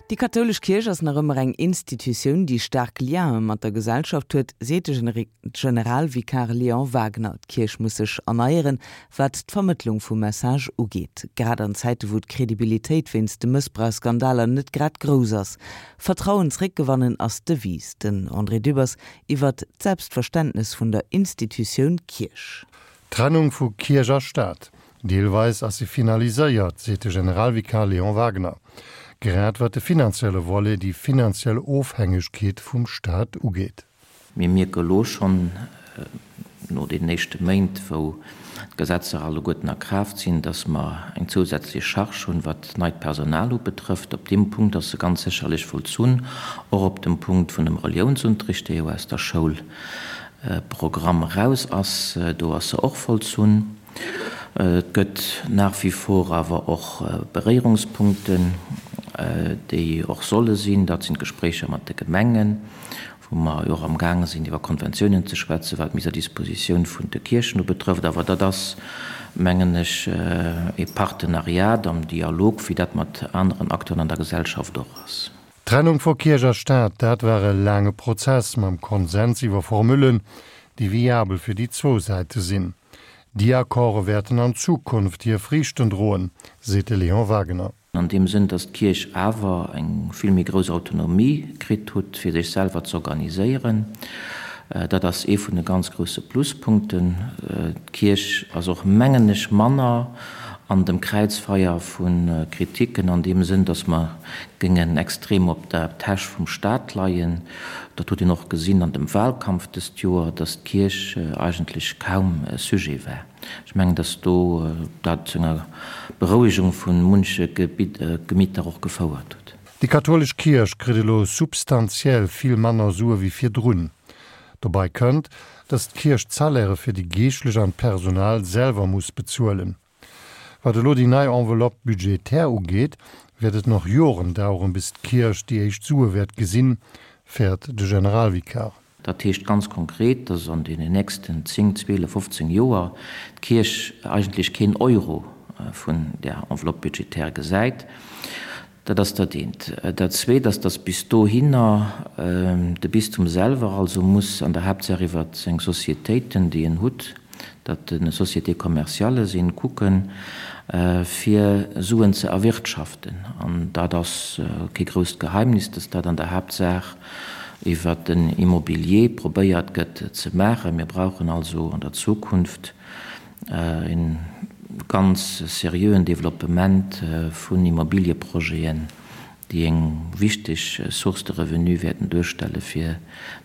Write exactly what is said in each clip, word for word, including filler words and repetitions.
Déi kathoulesch Kierch ass nach ëmmer eng Institutioun, déi staark Liene mat der Gesellschaft huet, seet de Generalvikar Léon Wagner. D'Kierch muss sech erneieren, wat d'Vermëttlung vum Message ugeet. Grad an Zäite wou d'Kredibilitéit wéinst de Mëssbrauchsskandaler net grad grouss ass. Vertrauen zréckgewannen ass d'Devise, den André Dübbers iwwer d'Selbstverständnes vun der Institutioun Kierch. Trennung vu Kierch a Staat. Deelweis ass se finaliséiert, seet de Generalvikar Léon Wagner. Grad wat de finanzielle Volet, déi finanziell Ofhängegkeet vum Staat ugeet. Mir mierke lo schonn, no deenen éischte Méint, wou d'Gesetzer alleguerten a Kraaft sinn, dass mer eng zousätzlech Charge hunn, wat neit Personal ubetrëfft. Op deem Punkt ass se ganz sécherlech vollzunn, och op dem Punkt vun dem Reliounsunterricht, dee jo aus der Schoulprogramm eraus ass, do ass se och vollzunn. Et gëtt nach wie vor awer och Beréierungspunkten, déi och solle sinn. Dat sinn d'Gespréicher mat de Gemengen, wou mer jo och amgaange sinn, iwwer Konventiounen ze schwätzen, wat d'Mise à disposition vun de Kierchen ubetrëfft. Awer dat ass, mengen ech, e Partenariat am Dialog, wéi dat mat aneren Acteuren an der Gesellschaft och ass. D'Trennung vu Kierch a Staat, dat war e laange Prozess mam Konsens iwwer Formullen, déi viabel fir déi zwou Säite sinn. Déi Accorde wäerten an Zukunft hir Friichten droen, seet de Léon Wagener. An deem Sënn, dass d'Kierch awer eng vill méi grouss Autonomie kritt hutt, fir sech selwer z'organiséieren. Dat ass ee vun de ganz grousse Pluspunkten. D'Kierch ass och, mengen ech, manner an dem Kräizfeier vu Kritiken an deem Sënn, dass mer géingen extrem op der Täsch vum Staat leien. Dat huet een och gesinn an dem Wahlkampf dëst Joer, dass d'Kierch eigentlech kaum Sujet war. Ech mengen, dass do dat zu enger Berouegung vu munche Gemitter och gefouert huet. Déi kathoulesch Kierch kritt elo substantiell vill manner Sue wéi virdrun. Dobäi kënnt, dass d'Kierch d'Salairë fir déi Geeschtlech an d'Personal selwer muss bezuelen. Wat elo déi nei Enveloppe budgétaire ugeet, wäert et nach Joren daueren, bis d'Kierch déi éischt Sue wäert gesinn, fäert de Generalvikar. Dat heescht ganz konkret, dass an deenen nächsten zéng, zwielef, fofzéng Joer d'Kierch eigentlech keen Euro vun där Enveloppe budgétaire gesäit. Dat ass dat eent. Dat zweet ass, dass bis dohinner de Bistum selwer also muss an der Haaptsaach iwwer seng Sociétéiten, déi en hutt, dat de Sociétés commerciales sinn, kucken, fir Suen ze erwirtschaften. An dat ass kee grousst Geheimnis, dass dat an der Haaptsaach iwwer den Immobilier probéiert gëtt ze maachen. Mir brauchen also an der Zukunft e ganz seriöen Developpement vun Immobilieprojeten, déi eng wichteg Source de revenu wäerten duerstelle fir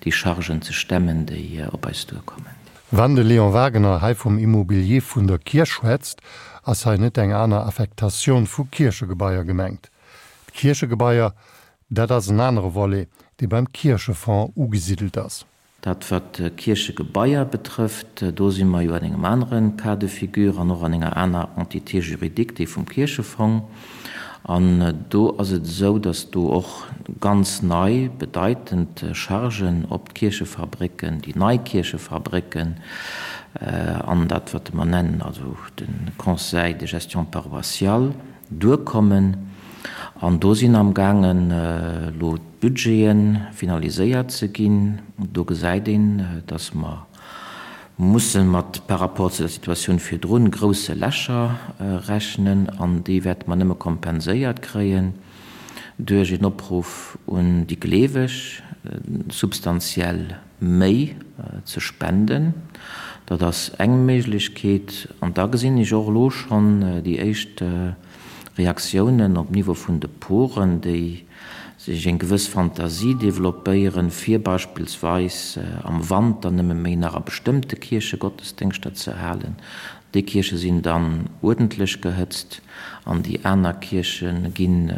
déi Chargen ze stemmen, déi op eis duerkommen. Wann de Léon Wagener hei vum Immobilier vun der Kierch schwätzt, ass hei net eng aner Affektatioun vu Kierchegebaier gemengt. D'Kierchegebaier, dat ass en anere Volet, dee beim Kierchefong ugesidelt ass. Dat wat d'Kierchegebaier betrëfft, do si mer jo an engem anere Cas de figure an och an enger aner Entité juridique, déi vum Kierchefong. An do ass et esou, dass do och ganz nei bedeitend Chargen op d'Kierchefabrécken, déi nei Kierchefabrécken an dat, wat mer nennen, also de Conseil de gestion paroissiale, duerkommen. An do sinn amgaangen elo d'Budgete finaliséiert ze ginn. Do gesäit een, dass mer musse mat, par rapport zu der Situatioun virdrun, grousse Lächer rechnen an déi wäerte mer nëmme kompenséiert kréien duerch een Opruff un déi Gleeweg, substantiell méi ze spenden. Dat ass eng Méiglechkeet. An da gesinn ech och elo schonn déi éischt Reaktiounen op Niveau vun de Poren, déi sech eng gewëss Fantasie developpéieren, fir beispillsweis am Wanter nëmme méi nach a bestëmmte Kierche Gottesdéngschter ze halen. Déi Kierche sinn dann uerdentlech gehëtzt an déi aner Kierche ginn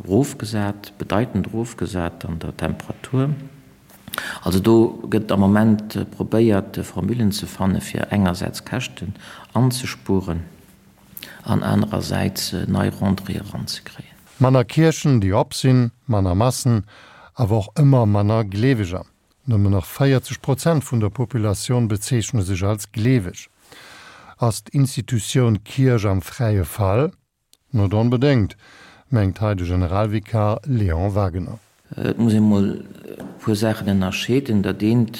erofgesat, bedeitend erofgesat an der Temperatur. Also do gëtt am Moment probéiert, Formulen ze fanne fir engersäits Käschten anzespueren an anerersäits nei Rentrée eranzekréien. Manner Kierchen, déi op sinn, manner Massen, awer och ëmmer manner Gleeweger. Nëmmen nach véierzeg Prozent vun der Populatioun bezeechne sech als gleeweg. Ass d'Institutioun Kierch am fräie Fall? Net onbedéngt, mengt hei de Generalvikar Léon Wagener. Et muss ee mol e puer Saachen ënnerscheeden. Dat eent,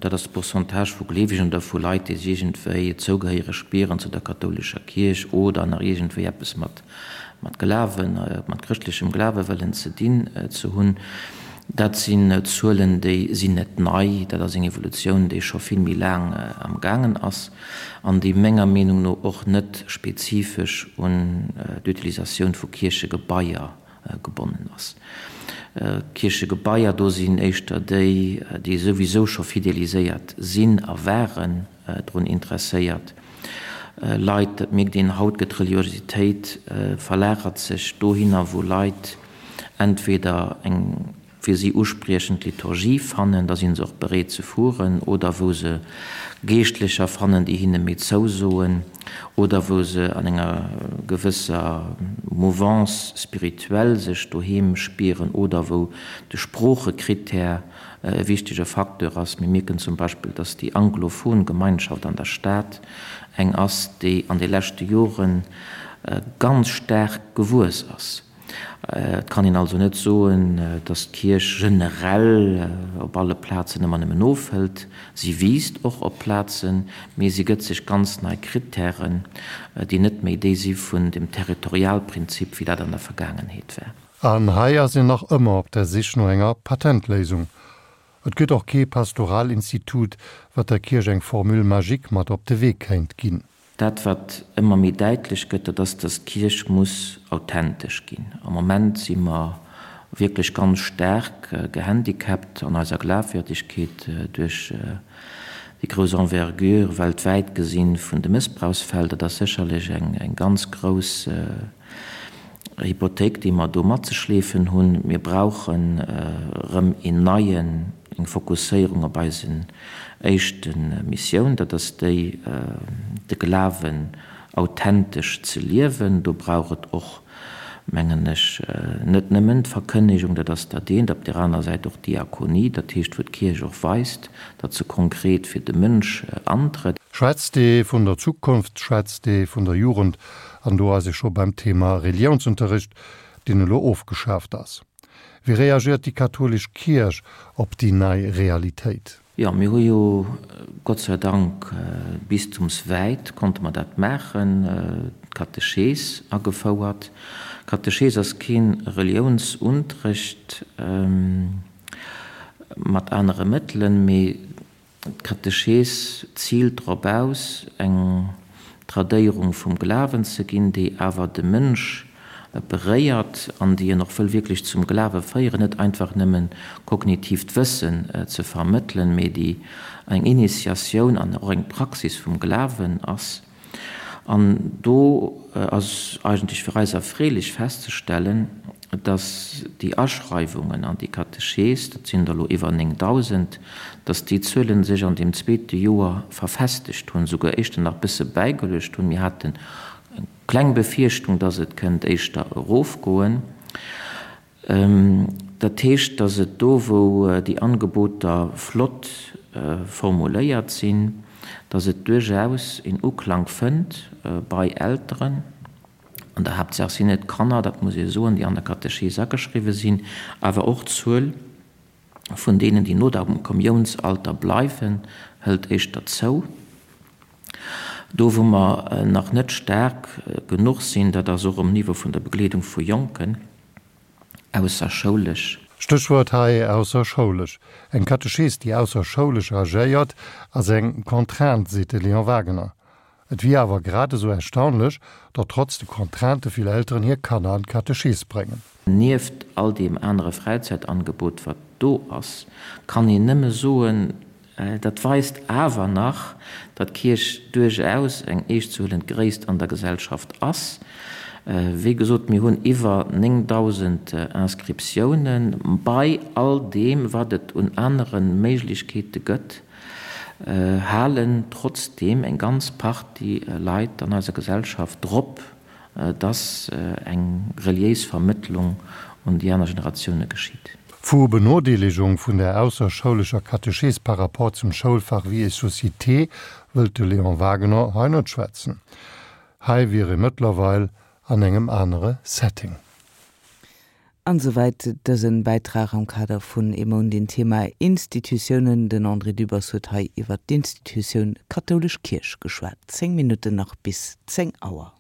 dat ass de Pourcentage vu Gleewegen oder vu Leit, déi sech iergendwéi zougehéiereg spieren zu der kathoulescher Kierch oder nach iergendwéi eppes mat mat Glawen, mat chrëschtlechem Glawe wëllen ze dinn ze hunn. Dat sinn Zuelen, déi sinn net nei. Dat ass eng Evolutioun, déi scho vill méi laang am gaangen ass an déi menger Meenung no och net spezifesch un d'Utilisatioun vu Kierchegebaier gebonnen ass. Kierchegebaier, do sinn éischter déi, déi souwisou scho fideliséiert sinn a waren, drun interesséiert. Leit, dat mierkt een haut, gëtt d'Reliositéit verlagert sech dohinner, wou Leit entweder eng fir si uspriechend Liturgie fannen, da si se och bereet ze fueren, oder wou se Geeschtlecher fannen, déi hinne méi zousoen, oder wou se an enger gewësser Mouvance spirituelle sech doheem spieren, oder wou de Sproochekrittär e wichtege Facteur ass. Mir mierken zum Beispill, dass déi anglophon Gemeinschaft an der Stad eng ass, déi an de leschte Jore ganz staark gewuess ass. Et kann een also net soen, dass d'Kierch generell op alle Plazen ëmmer nëmmen ofhëlt. Si wiisst och op Plazen, mee si gëtt sech ganz nei Krittären, déi net méi déi si vun dem Territorialprinzip, wéi dat an der Vergaangenheet war. An hei ass een nach ëmmer op der Sich no enger Patentléisung. Et gëtt och kee Pastoralinstitut, wat der Kierch eng Formule magique mat op de Wee kéint ginn. Dat, wat ëmmer méi däitlech gëtt, dat ass, dass d'Kierch muss authentesch ginn. Am Moment si mer wierklech ganz staark gehandicapt an eiser Glafwierdegkeet duerch déi grouss Envergure weltwäit gesinn vun de Mëssbrauchsfäll. Dat ass sécherlech eng ganz grouss Hypothéik, déi mer do matzeschleefen hunn. Mir brauchen erëm een neien, eng Fokusséierung op eisen éischte Missioun, dat ass déi, de Glawen authentesch ze liewen. Do brauch et och, mengen ech, net nëmmen d'Verkënnegung, dat ass dat eent, op där aner Säit och d'Diakonie, dat heescht, wou d'Kierch och weist, datt se konkret fir de Mënsch antrëtt. Schwätzt ee vun der Zukunft, schwätzt ee vun der Jugend, an do ass ee scho beim Thema Reliounsunterricht, deen elo ofgeschaaft ass. Wéi reagiert déi kathoulesch Kierch op déi nei Realitéit? Jo, mir hu jo Gott sei Dank bistumswäit konnte mer dat maachen, d'Katechees agefouert. Katechees ass kee Reliounsunterrecht mat anere Mëttelen, mee D'Katechees ziilt drop aus, eng Tradéierung vum Glawen ze ginn, déi awer de Mënsch beréiert an déi en och wëll wierklech zum Glawe féieren, net einfach nëmmen kognitiivt Wëssen ze vermëttelen, mee déi eng Initiatioun an och eng Praxis vum Glawen ass. An do ass eigentlech fir eis erfreelech festzestellen, dass déi Aschreiwungen an déi Katechees, dat sinn der elo iwwer néngdausend, dass déi Zuele sech an deem zweete Joer verfestegt hunn, souguer éischter nach bësse bäigeluecht hunn. Mir haten eng kleng Befierchtung, dass et kënnt éischter erofgoen. Dat heescht, dass et do, wou déi Angeboter flott formuléiert sinn, dass et duerchaus een Uklang fënnt bei Elteren. An der Haaptsaach sinn et Kanner, dat muss ee soen, déi an der Katechees ageschriwwe sinn, awer och d'Zuel vun deenen, déi no dem Kommiounsalter bleiwen, hëlt éischter zou. Do, wou mer nach net staark genuch sinn, dat ass och um Niveau vun der Begleedung vu Jonken ausserschoulesch. Stéchwuert hei ausserschoulesch. Eng Katechees, déi ausserschoulesch agéiert, ass eng Contrainte, seet de Léon Wagener. Et wier awer grad esou erstaunlech, datt trotz de Contraintë vill Elteren hir Kanner an d'Katechees bréngen. Nieft all deem anere Fräizäitangebot, wat do ass, kann een nëmme soen, dat weist awer nach, datt d'Kierch duerchaus eng eeschtzehuelend Gréisst an der Gesellschaft ass. Wéi gesot, mir hunn iwwer néngdausend Inscriptiounen. Bei all deem, wat et un anere Méiglechkeete gëtt, halen trotzdeem eng ganz Partie Leit an eiser Gesellschaft drop, dass eng reliéis Vermëttlung un déi aner Generatioune geschitt. Vu Benodeelegung vun der ausserschoulescher Katechees par rapport zum Schoulfach Vie et Société wëllt de Léon Wagener hei net schwätzen. Hei wier ee mëttlerweil an engem anere Setting. An souwäit dësen Bäitrag am Kader vun Emon den Thema Institutiounen. Den André Dübbers huet hei iwwer d'Institutioun kathoulesch Kierch geschwat. Zéng Minutten nach bis zéng Auer.